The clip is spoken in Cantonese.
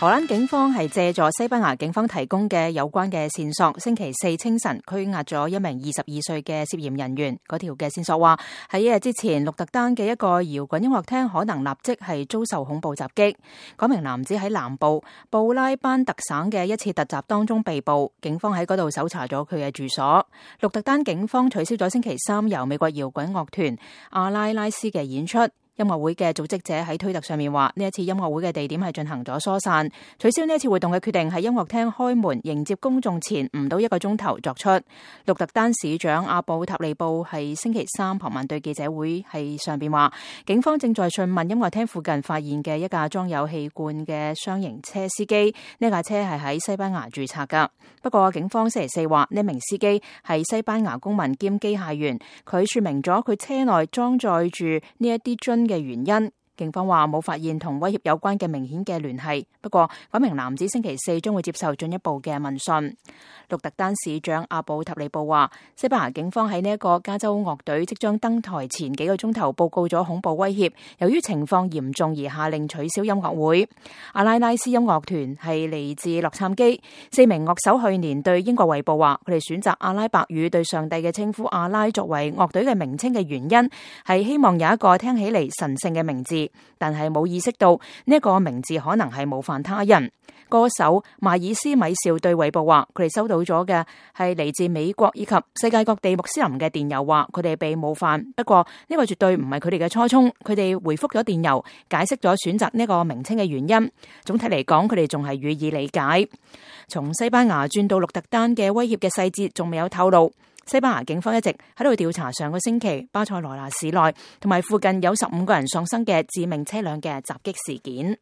荷蘭警方係借助西班牙警方提供嘅有關嘅線索，星期四清晨拘押咗一名22歲嘅涉嫌人員。嗰條嘅線索話喺一日之前，鹿特丹嘅一個搖滾音樂廳可能立即係遭受恐怖襲擊。嗰名男子喺南部布拉班特省嘅一次突襲當中被捕，警方喺嗰度搜查咗佢嘅住所。鹿特丹警方取消咗星期三由美國搖滾樂團阿拉拉斯嘅演出。音樂會嘅組織者喺推特上面話，呢一次音樂會嘅地點係進行咗疏散，取消呢一次活動嘅決定喺音樂廳開門迎接公眾前唔到1個鐘頭作出。鹿特丹市長阿布塔利布係星期三傍晚對記者會係上邊話，警方正在訊問音樂廳附近發現嘅一架裝有氣罐嘅雙型車司機，呢架車係喺西班牙註冊噶。不過警方星期四話，呢名司機係西班牙公民兼機械員，佢說明咗佢車內裝載住呢一啲樽嘅原因。警方話冇發現同威脅有關嘅明顯嘅聯繫，不過嗰名男子星期四將會接受進一步嘅問訊。鹿特丹市長阿布塔利布話，西班牙警方喺呢一個加州樂隊即將登台前幾個鐘頭報告咗恐怖威脅，由於情況嚴重而下令取消音樂會。阿拉拉斯音樂團係嚟自洛杉磯，4名樂手去年對英國衛報話，佢哋選擇阿拉伯語對上帝嘅稱呼阿拉作為樂隊嘅名稱嘅原因係希望有一個聽起嚟神聖嘅名字，但係冇意識到呢一個名字可能係冒犯他人。歌手邁爾斯米紹對衛報話，佢哋收到咗嘅係嚟自美國以及世界各地穆斯林嘅電郵，話佢哋被冒犯。不過呢個絕對唔係佢哋嘅初衷。佢哋回覆咗電郵，解釋咗選擇呢個名稱嘅原因。總體嚟講，佢哋仲係予以理解。從西班牙轉到鹿特丹嘅威脅嘅細節仲未有透露。西班牙警方一直喺度調查上個星期巴塞羅那市內同埋附近有15個人喪生嘅致命車輛嘅襲擊事件。